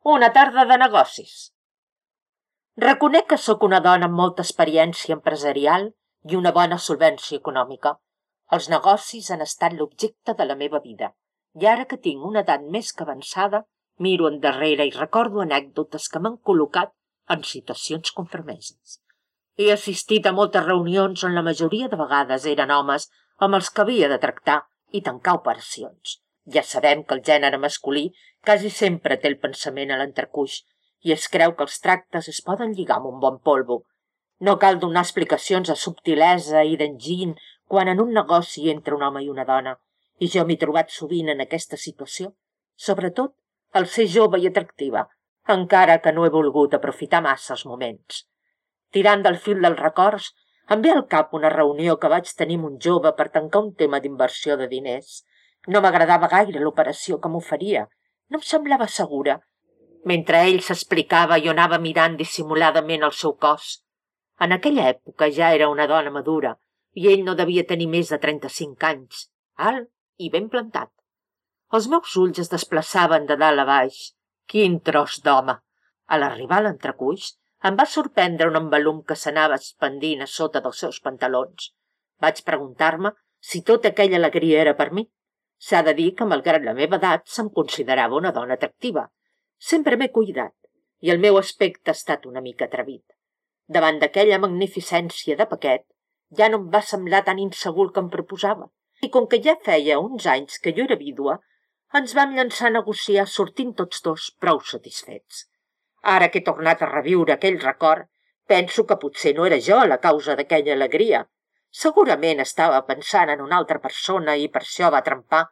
Una tarda de negocis. Reconec que sóc una dona amb molta experiència empresarial i una bona solvència econòmica. Els negocis han estat l'objecte de la meva vida, i ara que tinc una edat més que avançada, miro endarrere i recordo anècdotes que m'han col·locat en situacions compromeses. He assistit a moltes reunions on la majoria de vegades eren homes amb els que havia de tractar i tancar operacions. Ja sabem que el gènere masculí quasi sempre té el pensament a l'entrecuix i es creu que els tractes es poden lligar amb un bon polvo. No cal donar explicacions de subtilesa i d'enginy quan en un negoci entra un home i una dona, i jo m'he trobat sovint en aquesta situació, sobretot al ser jove i atractiva, encara que no he volgut aprofitar massa els moments. Tirant del fil dels records, em ve al cap una reunió que vaig tenir amb un jove per tancar un tema d'inversió de diners. No m'agradava gaire l'operació que m'oferia, no em semblava segura. Mentre ell s'explicava, jo anava mirant dissimuladament el seu cos. En aquella època ja era una dona madura i ell no devia tenir més de 35 anys, alt i ben plantat. Els meus ulls es desplaçaven de dalt a baix. Quin tros d'home! A l'arribar a l'entrecuix, em va sorprendre un embalum que s'anava expandint a sota dels seus pantalons. Vaig preguntar-me si tota aquella alegria era per mi. S'ha de dir que, malgrat la meva edat, se'm considerava una dona atractiva. Sempre m'he cuidat, i el meu aspecte ha estat una mica atrevit. Davant d'aquella magnificència de paquet, ja no em va semblar tan insegur que em proposava. I com que ja feia uns anys que jo era vídua, ens vam llançar a negociar sortint tots dos prou satisfets. Ara que he tornat a reviure aquell record, penso que potser no era jo la causa d'aquella alegria. Segurament estava pensant en una altra persona i per això va trempar.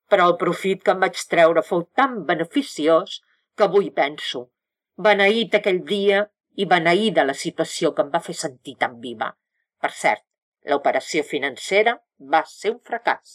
Però el profit que em vaig treure fou tan beneficiós que avui penso, beneït aquell dia i beneïda la situació que em va fer sentir tan viva. Per cert, l'operació financera va ser un fracàs.